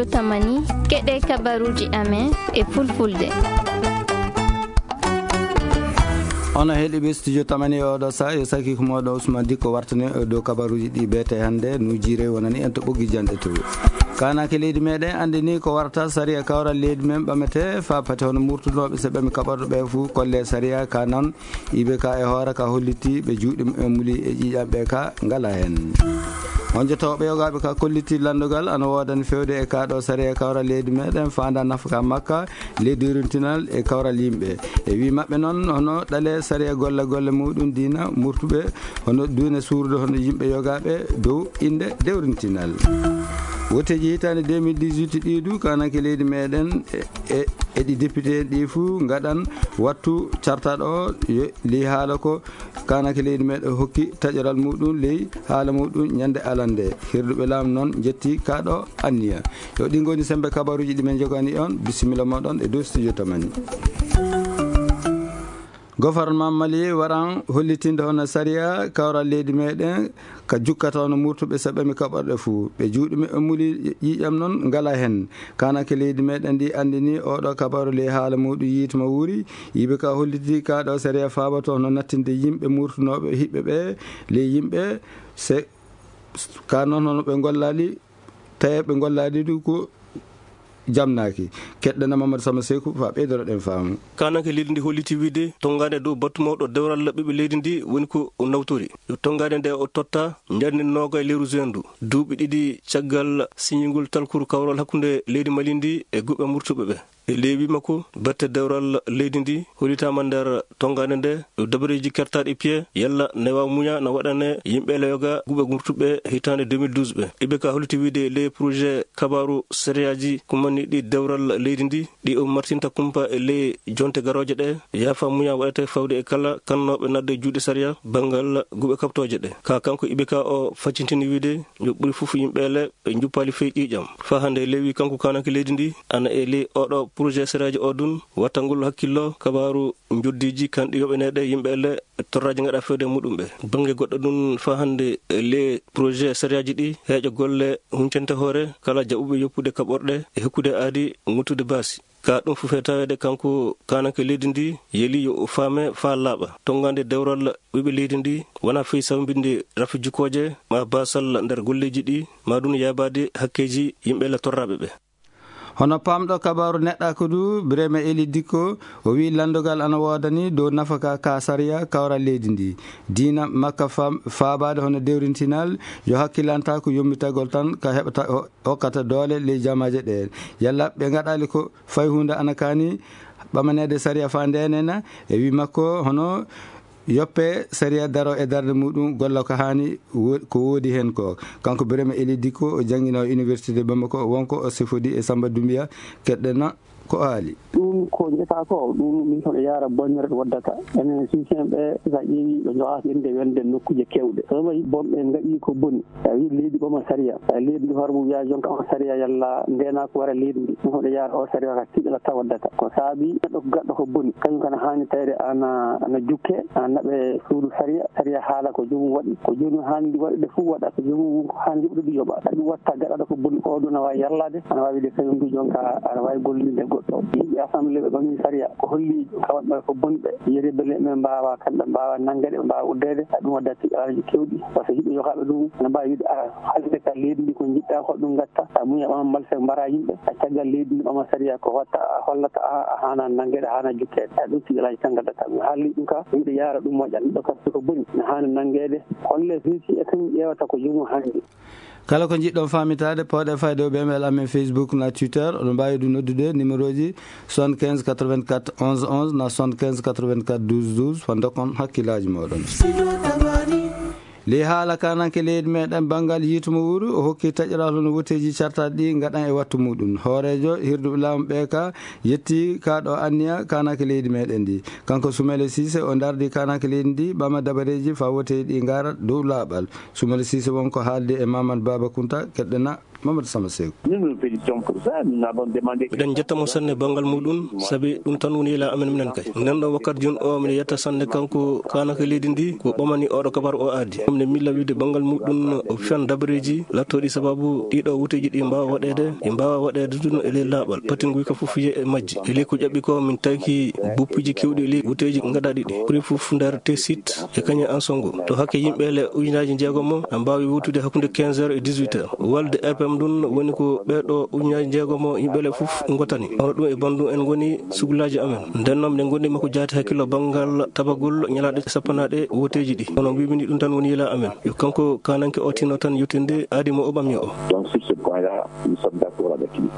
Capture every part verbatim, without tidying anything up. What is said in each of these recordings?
Tamani, keɗe kabaruuji amen e fulfulde. Ono heɗiɓe studio Tamani e oɗo sa, yo saki ko moɗo Ousmane Dikko wartani e dow kabaruuji ɗi beete hannde, nujire wonani en to ɓoggi janɗe to. Kanake leydi meɗen anndi ni ko warata sariya kawral leydi men ɓamete fa pati hono murtunoɓe se ɓami kaɓorɗo ɓe fuu kolle sariya ka non iɓe ka e hoore ka holliti ɓe juuɗe mumen muli e ƴiƴam ɓe ka ngala hen. On jotoɓe yogaɓe ka kolliti landogal ana woodani fewde e ka ɗo sariya kawral leydi meɗen fanda nafaka makka le dewrintinal e kawral yimɓe. E wi maɓɓe noon hono ɗale sariya golle golle muɗum diina murtuɓe hono duune suurde hono yimɓe yogaɓe dow innde dewrintinal. Woteji hitande deux mille dix-huit ɗi du kanake leydi meɗen e, e, e ɗi député ɗi fuu ngaɗan wattu cartaɗo o yo li haala ko kanake leydi meɗen hokki taƴoral muɗum ley haala muɗum ñande alande. Hirduɓe laamu noon jetti kaɗo anniya. Yo ɗi ngoni sembe kabaruji ɗi men jogani on. Bisimilla moɗon e dow studio Tamani. Gouvernement Mali waran hollitinde hono sariya kawral leydi meɗen ka jukkata hono murtuɓe saɓɓami kaɓorɗe fuu. Ɓe juuɗe mumen muli ƴiƴam noon ngala hen. Kanake leydi meɗen ndi andini oɗo kabaru ley haala muɗum yiituma wuuri. Yiɓe ka holliti ka ɗo sariya fabato hono nattinde yimɓe murtunoɓe hiɓɓe ɓe ley yimɓe se ka noon hono ɓe gollali tawi ɓe gollali ɗum ko jamnaaki. Keɗɗana Mamadou Sama Seku fa ɓeydoroɗen faamu. Kananke leydi ndi holliti wiide tonngande dow battu mawɗo dewral ɓiɓɓe leydi ndi woni ko o nawtori. Yo tonngande nde o totta ñande nooga e lewru juin ndu, duuɓi ɗiɗi caggal siñingol talkuru kawral hakkunde leydi Mali ndi e guɓe murtuɓe ɓe. E ley wi makko, batte dewral leydi ndi hollitaama nder tonngande nde, ɗo dabareeji kertaaɗi piye, yalla ne waawa muña no waɗane yimɓe leyoga guɓe murtuɓe hitaande deux mille douze ɓe. Ibe ka holliti wiide ley projet kabaaru sariyaaji kummaniiɗi dewral leydi ndi, ɗi o martinta kumpa e ley jonte garooje ɗe, yaafa muña waɗate fawde e kala kannooɓe nadde juuɗe sariya banngal guɓe kaɓtooje ɗe. Ka kanko Ibe ka o faccintini wiide, yo ɓuri fof yimɓe le ɓe njuppaali fey ƴiiƴam. Faa hannde lewi kanko kananke leydi ndi, ana e ley oɗo projet sariyaaji o dun, wattangol hakkillo kabaaru njoddiiji kanɗi yoɓaneeɗe yimɓe le torraaji ngaɗa fewde muɗum ɓe. Bannge goɗɗo dun, faa hannde ley projet sariyaaji ɗi, heeƴo golle huncante hoore kala jaɓuɓe yoppude kaɓorɗe e hokkude aadi nguttude baasi. Ka ɗum fof e taweede kanko kananke leydi ndi, yeli yo o faame faa laaɓa. Tonngande dewral ɓiɓɓe leydi ndi wona fey sawbinde rafi jukkooje ma baasal nder golleeji ɗi, ma ɗum yaabaade hakkeeji yimɓe le torraaɓe ɓe. Hono paamɗo kabaaru neɗɗaaku du, Birema Eli Dikko, o wi'i lanndogal ana woodani dow nafaka ka sariya kawral leydi ndi. Diina makka fam-, faabaade hono dewrintinal, yo hakkilantaako yommitagol tan ka heɓata, ho-, hokkata doole ley jamaaje ɗe. Yalla ɓe ngaɗali ko fay huunde ana kaani ɓamaneede sariya faa ndeenena, e wi makko hono yoppe sariya daro e darnde muɗum golla ko haani wo-, ko woodi heen ko. Kanko Birama Eli Dikko o janngino université Bamako, wonko o sifodi e Samba Dumbiya, keɗɗena ko o haali. Ɗum ko njeta ko, ɗum min kono yaara bonnere ɗo waddata. Enen sisien ɓe, sa ƴeewi ɓe njowaaka inde wonde nokkuuje kewɗe. So ɓe mbaɗi bom ɓe ngaɗi ko boni. A wi leydi ɓama sariya. A leydi ndi hoore mum wiya jonka on sariya yalla ndeena ko wara leydi ndi. Ɗum hoɗo yaara o sariya ka tiiɗala taw waddata. Ko saabi neɗɗo ko gaɗɗo ko boni. Kañum kana haani tawde ana, ana jukke, ana naɓe suudu sariya. Sariya haala ko joomum waɗi. Ko joomum haani ndi waɗude fof waɗa. Ko joomum won ko haani yoɓude ɗum yoɓa. Ɗum watta gaɗaɗo ko boni ko ɗum ana waawi yallaade. Ana waawi de kañum du jonka ana waawi gollinde goɗɗo. Yimɓe assemblée ɓe ɓami sariya. Ko holli jonka waɗɓe ko boni ɓe. Yeri bele ɓe mbaawa kamɓe mbaawa nangede ɓe mbaawa uddeede. Ɗum waddata tiiɗalaaji kewɗi. Par ce que yimɓe yokaaɓe ɗum ana mbaawi wiide ara. Haalde ka leydi ndi ko njiɗɗa ko ɗum ngatta. A muña ɓama mbalse mbara yimɓe. A caggal leydi ndi ɓama sariya ko watta a hollata a, a haana nangede, a haana jukkeede. A ɗum tiiɗalaaji tan ngaddata. Mi haalli ɗum ka, yimɓe yaara ɗum moƴƴa. Neɗɗo kadi ko boni, ne haani nangede. Holle fii si e kañum ƴeewata ko joomum hannde. Kala ko njiɗɗon faamitaade, pooɗe fayde o ɓe email amen Facebook na Twitter. Oɗon mbaawi ɗum noddude numéro ji soixante-quinze quatre-vingt-quatre onze onze na soixante-quinze quatre-vingt-quatre douze douze. Faa ndokkon hakkillaaji mooɗon. Ley haala kananke leydi meɗen banngal yiitu mo wuuru, o hokki taƴoral hono woteeji cartaaɗi ɗi ngaɗan e wattu muɗum. Hooreejo hirduɓe laamu ɓe ka yetti ka ɗo anniya kananke leydi meɗen ndi. Kanko Sumaila Cissé o ndardi kananke leydi ndi ɓama dabareeji faa woteeji ɗi ngara dow laaɓal. Sumaila Cissé won ko haaldi e Mamadou Baba Kounta, keɗɗena. Mamadou Sama Seeku. Nous nous félicitons pour ça, nous avons demandé. Miɗen njetta mo sanne banngal muɗum, sabi ɗum tan woni yila amen minen kay. Nden ɗo wakkati jooni o, miɗen yetta sanne kanko kaananke leydi ndi, ko ɓamani oɗo kabaru o aadi. Minen milla wiide banngal muɗum o fiyan dabareeji lattooɗi sababu ɗiɗo wuteeji ɗi mbaawa waɗeede, ɗi mbaawa waɗeede ɗum e ley laaɓal. Pati nguyka fof fiye e majji. E ley ko ƴaɓɓi ko, min tawki buppuji kewɗi e ley wuteeji ngaɗaaɗi ɗi. Ɓuri fof nder T site e kañum en songo. To hakke yimɓe le ujunaaji njeegomo na mbaawi wutude hakkunde quinze heures e dix-huit heures. Walde R P M ɗum woni ko ɓeeɗo ujunaaji njeegomo yimɓe le fof ngotani. Hono ɗum e banndum en ngoni sugulaaji amen. Nden noon, miɗen ngondi makko jaati hakkillo banngal tabagol ñalaaɗe sappanaaɗe woteeji ɗi. Kono mbimi ni ɗum tan woni yila amen. Yo kanko kaananke o tinno tan yettinde aadi mo o ɓami o. Donc, sur ce point-là, nous sommes d'accord avec lui.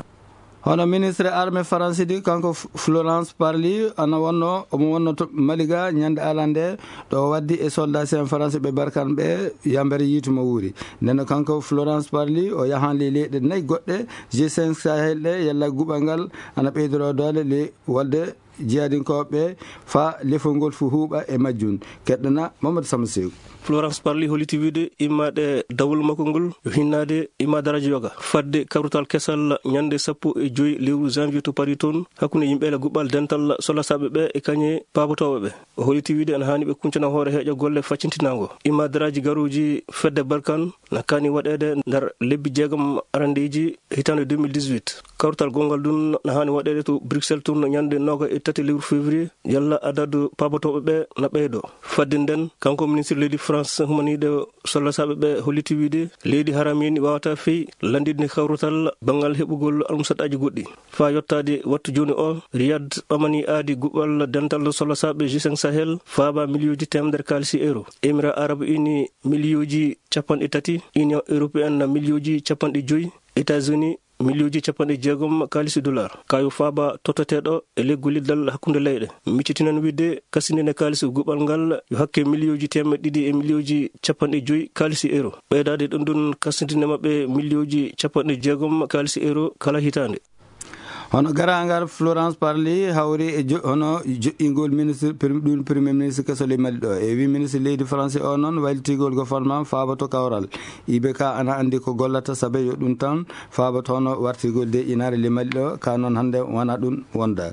Hono ministre armée Faransi ɗi, kanko F-, Florence Parly, ana wonno, omo wonno to Maliga ñande alande, ɗo waddi e soldat en Faransi ɓe Barkhane ɓe yambere yiitu mo wuuri. Nden kanko Florence Parly, o yahan ley leyɗe nayi goɗɗe, G cinq Sahel ɗe, yalla guɓal ngal ana ɓeydoro doole ley walde jihadinkooɓe faa lefol ngol fu huuɓa e majjum. Keɗɗana Mamadou Sama Seeku. Florence Parly holliti wiide immaade dawol makko ngol yo hinnaade imma daraaji yoga. Fadde kawrital kesal ñande sappo e joy lewru janvier to Paris toon, hakkunde yimɓe le guɓal dental solasaaɓe ɓe e kañe paabotooɓe ɓe. O holliti wiide ana haani ɓe kuncana hoore heeƴa golle faccintinaango. Imma daraaji garuuji fedde Barkhane na kaani waɗeede nder lebbi jeegom arandeeji hitaande deux mille dix-huit. Kawrital gonngal ɗum na haani waɗeede to Bruxelles toon ñande nooga e tati lewru février, yalla adadu paabotooɓe ɓe na ɓeydo. Fadde nden, kanko ministre leydi France humaniiɗo solasaaɓe ɓe holliti wiide leydi haramini waawata fey lanndinde kawrital banngal heɓugol almusaɗaaji goɗɗi. Faa yottaade wattu jooni o, Riyad ɓamani aadi guɓal dental solasaaɓe G cinq Sahel faaba miliyooji teemedere kaalisi euro. Émirats Arabes Unis miliyooji capanɗe tati, Union Européenne miliyooji capanɗe joy, États-Unis miliyooji capanɗe jeegom kaalisi dollar. Kayo faaba totteteeɗo e ley golliddal hakkunde leyɗe. Miccitinon wiide kasindine kaalisi guɓal ngal yo hakke miliyooji teemedde ɗiɗi e miliyooji capanɗe joy kaalisi euro. Ɓeydaade ɗum ɗum kasindine maɓɓe miliyooji capanɗe jeegom kaalisi euro kala hitaande. Hono garangal Florence Parly hawri e jo-, hono joƴƴingol ministre prim-, ɗum premier ministre keso ley Mali ɗo. E wi ministre leydi France o noon waylitigol gouvernement faaboto kawral. I B K ana anndi ko gollata sabe yo ɗum tan faaboto hono wartigol de inaare ley Mali ɗo, ka noon hannde wona ɗum wonda.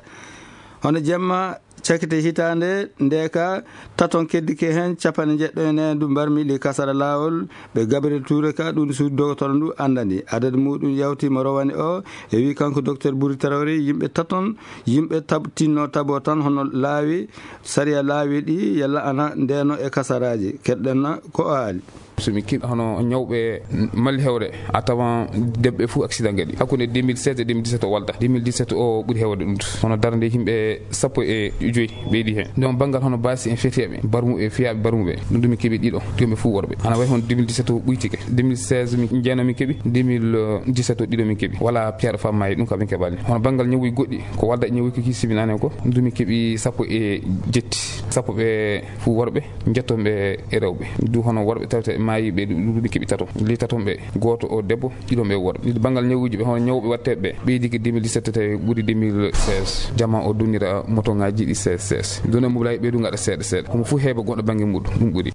Hono jemma cakite hitaande nde ka taton keddike heen capanɗe njeɗɗo e neendu mbarmi ley kasara laawol ɓe Gabriel Touré ka ɗum suudu dogotoro ndu anndani. Adadu muɗum yawti mo rowani o e wi kanko docteur Buri Traoré yimɓe taton, yimɓe tab-, tinno tabo tan hono laawi, sariya laawi ɗi yalla ana ndeno e kasaraaji. Keɗɗen na ko o haali. So min keɓi hono ñawɓe Mali hewre, a tawan debbe fof accident gaɗi. Hakkunde deux mille seize e deux mille dix-sept o walda. Deux mille dix-sept o ɓuri hewde ɗum. Hono darnde yimɓe sappo e joy ɓeydi heen. Ɗon banngal hono baasi en feteeɓe, barmuɓe, fiyaaɓe barmuɓe. Ɗum ɗum min keɓi ɗiɗo, ɗum ɓe fof worɓe. Ana wayi hono deux mille dix-sept o ɓuytike. Deux mille seize min, jeeno min keɓi, deux mille dix-sept o ɗiɗo min keɓi. Wala piyaɗo fam maayi ɗum kam min keɓani. Hono banngal ñawuuji goɗɗi, ko walda e ñawuuji ko kiisiminaane ko, ɗum ɗum min keɓi sappo e jetti. Sappo ɓe fof worɓe, njetton ɓe e rewɓe. Du hono worɓe tawte maayi ɓe ɗum ɗum min keɓi tato. Li taton ɓe, gooto o debbo, ɗiɗo ɓe worɓe. Ɗiɗo banngal ñawuuji ɓe, hono ñawɓe watteeɓe ɓe, ɓeydike deux mille dix-sept tawi ɓuri deux mille seize. Jama o dunnira motoŋaaji ɗi seize seize. Done mobile ɓe ɗum ngaɗa seeɗa seeɗa. Homo fof heɓa goɗɗo bannge muɗum, ɗum ɓuri.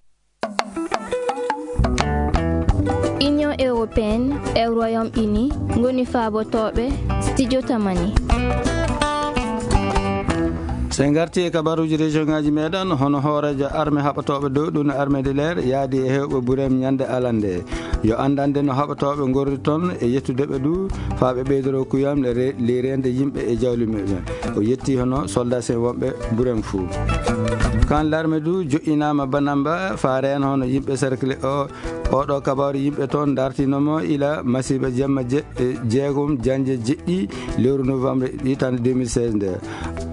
Union européenne e Royaume-Uni ngoni faabotooɓe Studio Tamani. So en ngarti e kabaruuji région ngaaji meɗen, hono hooreejo armée haɓatooɓe dow ɗum armée de l'air yaadi e heewɓe Burem ñande alande. Yo anndande no haɓatooɓe ngorri toon e yettude ɓe du faa ɓe ɓeydoro kuyam le re-, ley reende yimɓe e jawle muɓɓen. O yetti hono soldat en wonɓe Burem fuu. Kan l'armée du joƴƴinaama Banamba faa reena hono yimɓe cercle o. Oɗo kabaaru yimɓe toon dartinomo ila masiiba jemma je-, e jeegom jannje jeɗɗi lewru novembre hitaande deux mille seize nde.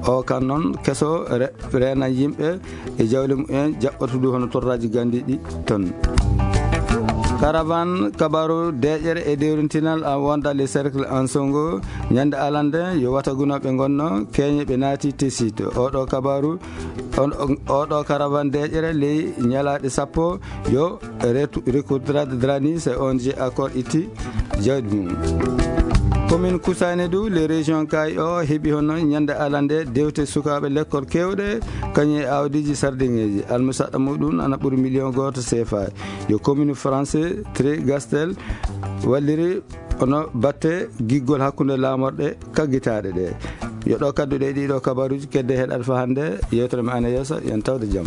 O kan noon keso re-, reena yimɓe e jawle mumen jaɓɓatudu hono torraaji ganndiiɗi toon. Caravane kabaaru deeƴere e dewrintinal a wonda le cercle en songo ñande alande yo watagunooɓe ngonno keñe ɓe naati Tessit. Oɗo kabaaru, on, on, oɗo caravane deeƴere ley ñalaaɗe sappo yo retu-, Recouvrade Drani, c'est O N G Accord itti jawdi mum. Commune Koussané du, les régions kay o heɓi hono ñande alande dewte sukaaɓe lekkol keewɗe, kañum e awdiiji sardiŋeeji. Almusaɗɗa muɗum ana ɓuri million gooto C F A. Yo commune français Trigastel walliri hono batte giggol hakkunde laamorɗe kaggitaaɗe ɗe. Yo ɗo kadduɗe ɗiɗo kabaruuji kedde heɗaɗo fa hannde, yewtere men ana yeeso, yon tawde jam.